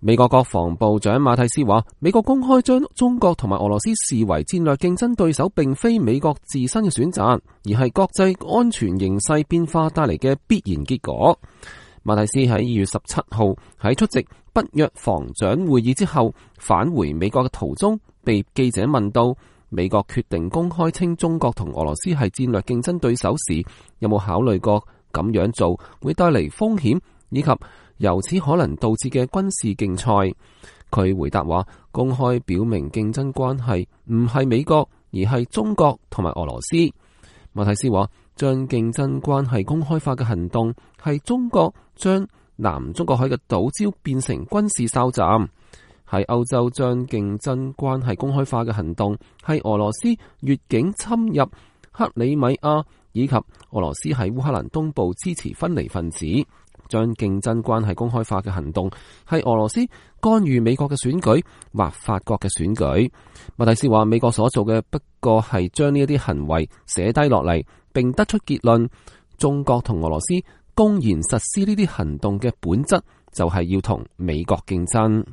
美國國防部長馬蒂斯話，美國公開將中國同埋俄羅斯視為戰略競爭對手，並非美國自身嘅選擇，而係國際安全形勢變化帶嚟嘅必然結果。馬蒂斯喺2月17號喺出席北約防長會議之後返回美國嘅途中，被記者問到美國決定公開稱中國同俄羅斯係戰略競爭對手時，有冇考慮過咁樣做會帶嚟風險，以及由此可能導致嘅軍事競賽？佢回答話，公開表明競爭關係唔係美國，而係中國同埋俄羅斯。馬蒂斯話，將競爭關係公開化嘅行動係中國將南中國海嘅島礁變成軍事哨站，喺歐洲將競爭關係公開化嘅行動係俄羅斯越境侵入克里米亞，以及俄羅斯喺烏克蘭東部支持分離分子。將競爭關係公開化嘅行動係俄羅斯干預美國嘅選舉或法國嘅選舉。馬蒂斯話，美國所做嘅不過係將呢一啲行為寫低落嚟，並得出結論：中國同俄羅斯公然實施呢啲行動嘅本質就係要同美國競爭。